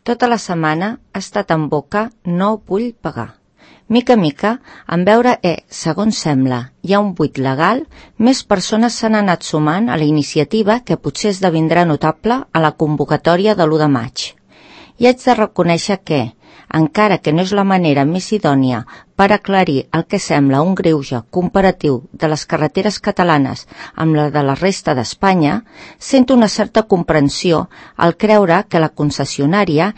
Tota la setmana ha estat en boca no vull pagar. Mica a mica, en veure segons sembla, hi ha un buit legal, més persones s'han anat sumant a la iniciativa que potser esdevindrà notable a la convocatòria de l'1 de maig. I haig de reconèixer que, encara que no és la manera més idònia per aclarir el que sembla un greuge comparatiu de les carreteres catalanes amb la de la resta d'Espanya, sento una certa comprensió al creure que la concessionària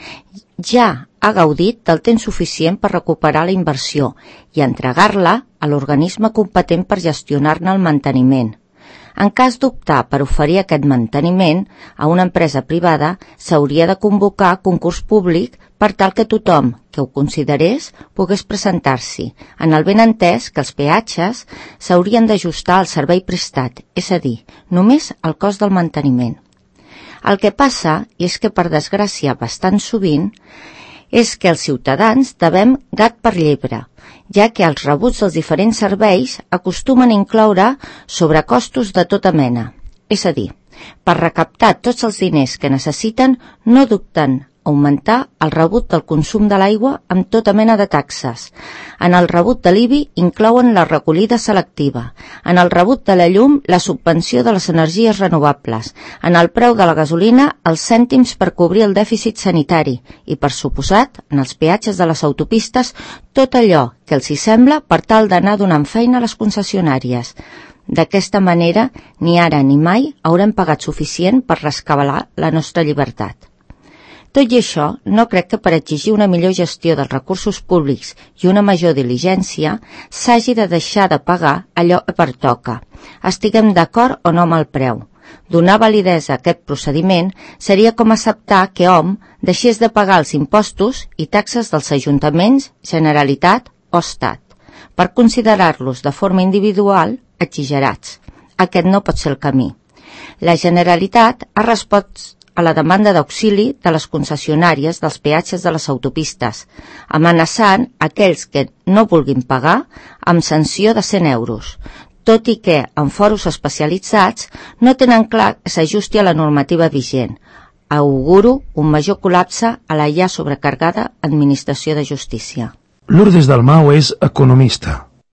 ja ha gaudit del temps suficient per recuperar la inversió i entregar-la a l'organisme competent per gestionar-ne el manteniment. En cas d'optar per oferir aquest manteniment a una empresa privada, s'hauria de convocar concurs públic per tal que tothom que ho considerés pogués presentar-s'hi, en el benentès que els peatges s'haurien d'ajustar al servei prestat, és a dir, només al cost del manteniment. El que passa, i és que per desgràcia bastant sovint, és que els ciutadans devem gat per llebre, ja que els rebuts dels diferents serveis acostumen a incloure sobrecostos de tota mena. És a dir, per recaptar tots els diners que necessiten no dubten augmentar el rebut del consum de l'aigua amb tota mena de taxes. En el rebut de l'IBI inclouen la recollida selectiva, en el rebut de la llum la subvenció de les energies renovables, en el preu de la gasolina els cèntims per cobrir el dèficit sanitari i, per suposat, en els peatges de les autopistes tot allò que els hi sembla per tal d'anar donant feina a les concessionàries. D'aquesta manera, ni ara ni mai haurem pagat suficient per rescabalar la nostra llibertat. Tot i això, no crec que per exigir una millor gestió dels recursos públics i una major diligència s'hagi de deixar de pagar allò que pertoca. Estiguem d'acord o no amb el preu. Donar validesa a aquest procediment seria com acceptar que hom deixés de pagar els impostos i taxes dels ajuntaments, Generalitat o Estat, per considerar-los de forma individual exagerats. Aquest no pot ser el camí. La Generalitat ha respost a la demanda d'auxili de les concessionàries dels peatges de les autopistes, amenaçant aquells que no vulguin pagar amb sanció de 100 euros, tot i que en foros especialitzats no tenen clar que s'ajusti a la normativa vigent. Auguro un major col·lapse a la ja sobrecarregada Administració de Justícia. Lourdes Dalmau és economista.